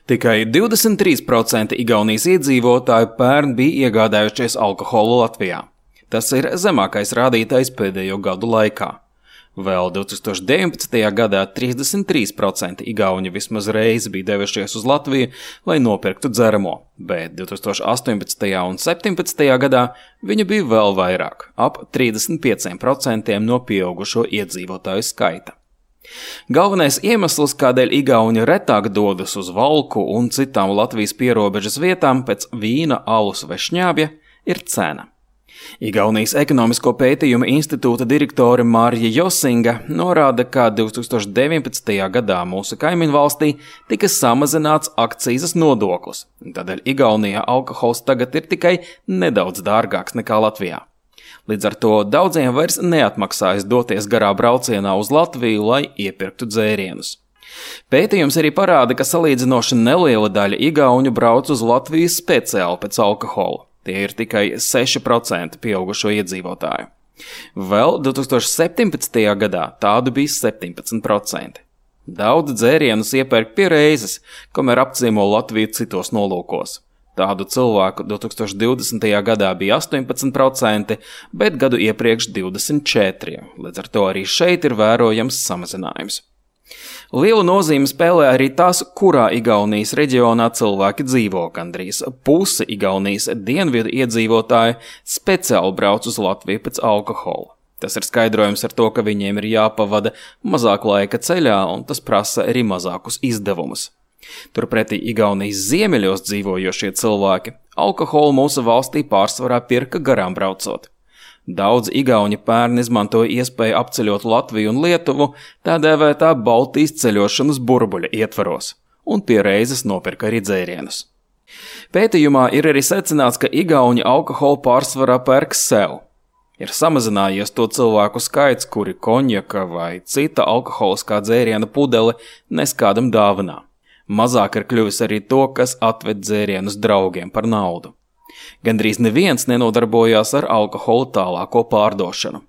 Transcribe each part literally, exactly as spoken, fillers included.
Tikai divdesmit trīs procenti Igaunijas iedzīvotāju pērn bija iegādājušies alkoholu Latvijā. Tas ir zemākais rādītājs pēdējo gadu laikā. Vēl divs tūkstoši deviņpadsmitajā gadā trīsdesmit trīs procenti igauņu vismaz reizi bija devušies uz Latviju, lai nopirktu dzeramo, bet divs tūkstoši astoņpadsmitajā un septiņpadsmitajā gadā viņa bija vēl vairāk, ap trīsdesmit pieci procenti no pieaugušo iedzīvotāju skaita. Galvenais iemesls, kādēļ igauņi retāk dodas uz Valku un citām Latvijas pierobežas vietām pēc vīna, alus vai šņābja, ir cena. Igaunijas ekonomisko pētījumu institūta direktore Marija Josinga norāda, ka divs tūkstoši deviņpadsmitajā gadā mūsu kaimiņvalstī tika samazināts akcīzes nodoklis, tādēļ Igaunijā alkohols tagad ir tikai nedaudz dārgāks nekā Latvijā. Līdz ar to daudziem vairs neatmaksājas doties garā braucienā uz Latviju, lai iepirktu dzērienus. Pētījums arī parāda, ka salīdzinoši neliela daļa igauņu brauc uz Latviju speciāli pēc alkohola. Tie ir tikai seši procenti pieaugušo iedzīvotāju. Vēl divs tūkstoši septiņpadsmitajā gadā tādu bija septiņpadsmit procenti. Daudz dzērienus iepērk pie reizes, kamēr apciemo Latviju citos nolūkos. Tādu cilvēku divs tūkstoši divdesmitajā gadā bija astoņpadsmit procenti, bet gadu iepriekš divdesmit četri procenti. Līdz ar to arī šeit ir vērojams samazinājums. Lielu nozīmi spēlē arī tas, kurā Igaunijas reģionā cilvēki dzīvo. Gandrīz pusi Igaunijas dienvidu iedzīvotāji speciāli brauc uz Latviju pēc alkohola. Tas ir skaidrojums ar to, ka viņiem ir jāpavada mazāk laika ceļā, un tas prasa arī mazākus izdevumus. Turpretī Igaunijas ziemeļos dzīvojošie cilvēki alkoholu mūsu valstī pārsvarā pirka garām braucot. Daudz igauņi pērn izmantoja iespēju apceļot Latviju un Lietuvu tā dēvētā Baltijas ceļošanas burbuļa ietvaros, un pie reizes nopirka arī dzērienus. Pētījumā ir arī secināts, ka igauņi alkoholu pārsvarā pērk sev. Ir samazinājies to cilvēku skaits, kuri konjaka vai cita alkoholiskā dzēriena pudeli nes kādam dāvanā. Mazāk ir kļuvis arī to, kas atved dzērienus draugiem par naudu. Gandrīz neviens nenodarbojās ar alkoholu tālāko pārdošanu.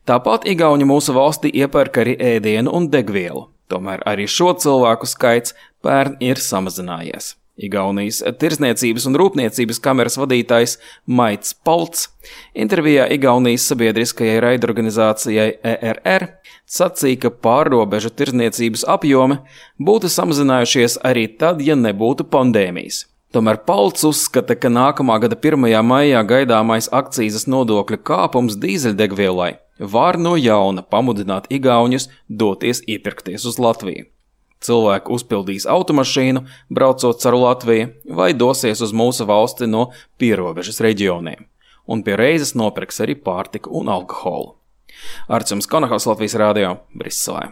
Tāpat igauņi mūsu valstī iepērk arī ēdienu un degvielu, tomēr arī šo cilvēku skaits pērn ir samazinājies. Igaunijas Tirzniecības un rūpniecības kameras vadītājs Maits Palts intervijā Igaunijas sabiedriskajai raidorganizācijai E R R sacīja, ka pārrobežu tirzniecības apjomi būtu samazinājušies arī tad, ja nebūtu pandēmijas. Tomēr Palts uzskata, ka nākamā gada pirmajā maijā gaidāmais akcīzes nodokļa kāpums dīzeļdegvielai var no jauna pamudināt igauņus doties iepirkties uz Latviju. Cilvēki uzpildīs automašīnu, braucot caur Latviju, vai dosies uz mūsu valsti no pierobežas reģioniem, un pie reizes nopirks arī pārtiku un alkoholu. Arts jums Konahaus, Latvijas radio, Briselē.